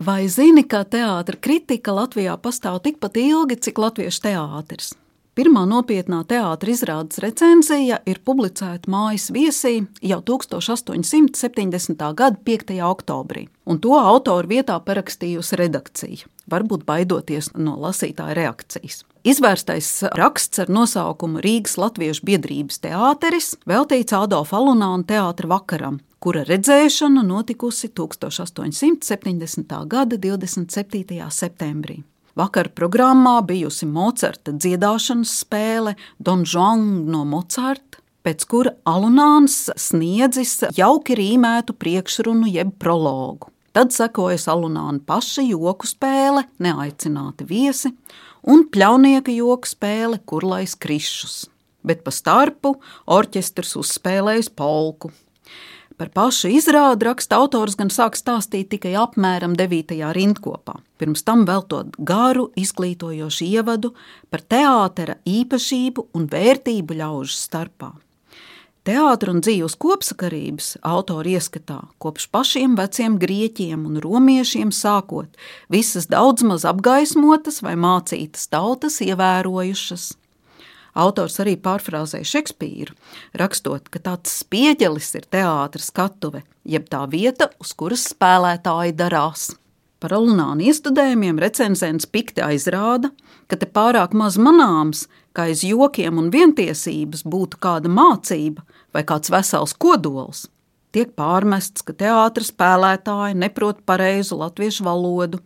Vai zini, ka teātra kritika Latvijā pastāv tikpat ilgi, cik latviešu teātris? Pirmā nopietnā teātra izrādes recenzija ir publicēta Mājas viesī jau 1870. gada 5. oktobrī, un to autoru vietā parakstījusi redakcija, varbūt baidoties no lasītāja reakcijas. Izvērstais raksts ar nosaukumu Rīgas Latviešu biedrības teāteris veltīts Adolfa Alunāna teātra vakaram, kura redzēšana notikusi 1870. gada 27. septembrī. Vakar programmā bijusi Mocarta dziedāšanas spēle Don Juan no Mocarta, pēc kura Alunāns sniedzis jauki rīmētu priekšrunu jeb prologu. Tad sekojas Alunāna paša joku spēle Neaicināti viesi un pļaunieka joku spēle Kurlais krišus. Bet pa starpu orķestrs uzspēlējis polku. Par pašu izrādi raksta autors gan sāk stāstīt tikai apmēram 9. rindkopā, pirms tam veltot garu, izglītojošu ievadu par teātra īpašību un vērtību ļaužu starpā. Teātra un dzīves kopsakarības autori ieskatā kopš pašiem veciem grieķiem un romiešiem sākot visas daudz maz apgaismotas vai mācītas tautas ievērojušas. Autors arī pārfrāzēja Šekspīru, rakstot, ka tāds spieģelis ir teātra skatuve, jeb tā vieta, uz kuras spēlētāji darās. Par Alunāna iestudējumiem recenzents pikti aizrāda, ka te pārāk maz manāms, ka aiz jokiem un vientiesības būtu kāda mācība vai kāds vesels kodols. Tiek pārmests, ka teātra spēlētāji neprot pareizu latviešu valodu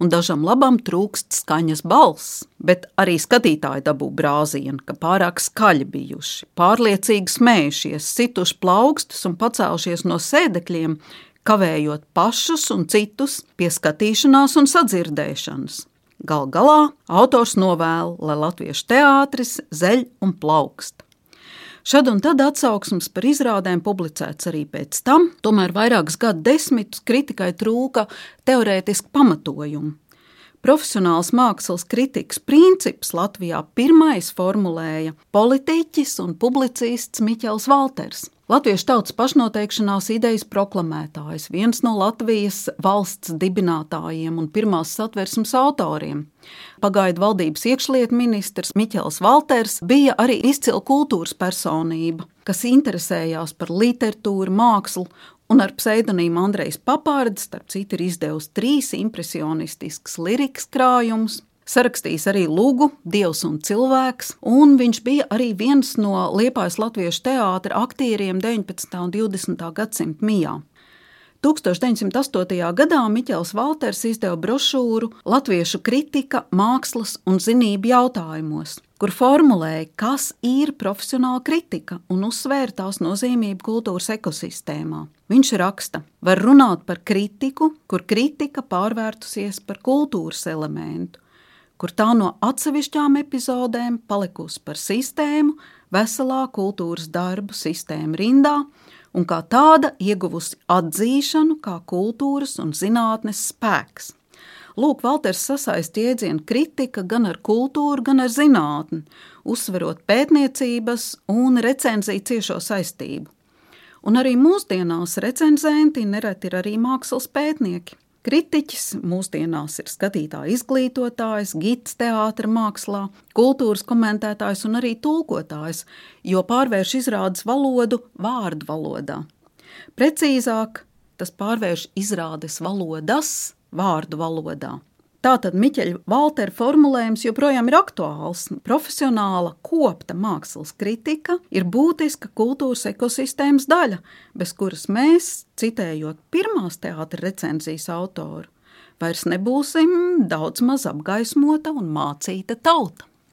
un dažam labam trūkst skaņas balss, bet arī skatītāji dabū brāzienu, ka pārāk skaļi bijuši, pārliecīgi smējušies, situši plaukstus un pacēlušies no sēdekļiem, kavējot pašus un citus pie skatīšanās un sadzirdēšanas. Gal galā autors novēl, lai latviešu teātris zeļ un plaukst. Šad un tad atsauksmes par izrādēm publicēts arī pēc tam, tomēr vairākus gadu desmitus kritikai trūka teorētiski pamatojumu. Profesionāls mākslas kritikas princips Latvijā pirmais formulēja politiķis un publicists Miķels Valters. Latviešu tautas pašnoteikšanās idejas proklamētājs, viens no Latvijas valsts dibinātājiem un pirmās satversmes autoriem. Pagaidu valdības iekšlietu ministrs Miķels Valters bija arī izcila kultūras personība, kas interesējās par literatūru, mākslu un ar pseidonīmu Andrejs Papārdis, starp citu, ir izdevusi 3 impresionistiskas lirikas krājumus, sarakstījis arī lugu Dievs un cilvēks, un viņš bija arī viens no Liepājas latviešu teātra aktieriem 19. un 20. gadsimta mijā. 1908. gadā Miķels Valters izdeva brošūru Latviešu kritika, mākslas un zinību jautājumos, kur formulēja, kas ir profesionāla kritika un uzsvēra tās nozīmību kultūras ekosistēmā. Viņš raksta, var runāt par kritiku, kur kritika pārvērtusies par kultūras elementu, kur tā no atsevišķām epizodēm palikusi par sistēmu, veselā kultūras darbu sistēmu rindā, un kā tāda ieguvusi atzīšanu kā kultūras un zinātnes spēks. Lūk, Valters sasaist jēdzienu kritika gan ar kultūru, gan ar zinātni, uzsverot pētniecības un recenziju ciešo saistību. Un arī mūsdienās recenzenti nereti ir arī mākslas pētnieki. Kritiķis mūsdienās ir skatītāja izglītotājs, gids teātra mākslā, kultūras komentētājs un arī tulkotājs, jo pārvērš izrādes valodu vārdu valodā. Precīzāk, tas pārvērš izrādes valodas vārdu valodā. Tātad Miķeļa Valtera formulējums joprojām ir aktuāls. Profesionāla, kopta mākslas kritika ir būtiska kultūras ekosistēmas daļa, bez kuras mēs, citējot pirmās teātra recenzijas autoru, vairs nebūsim daudz maz apgaismota un mācīta tauta.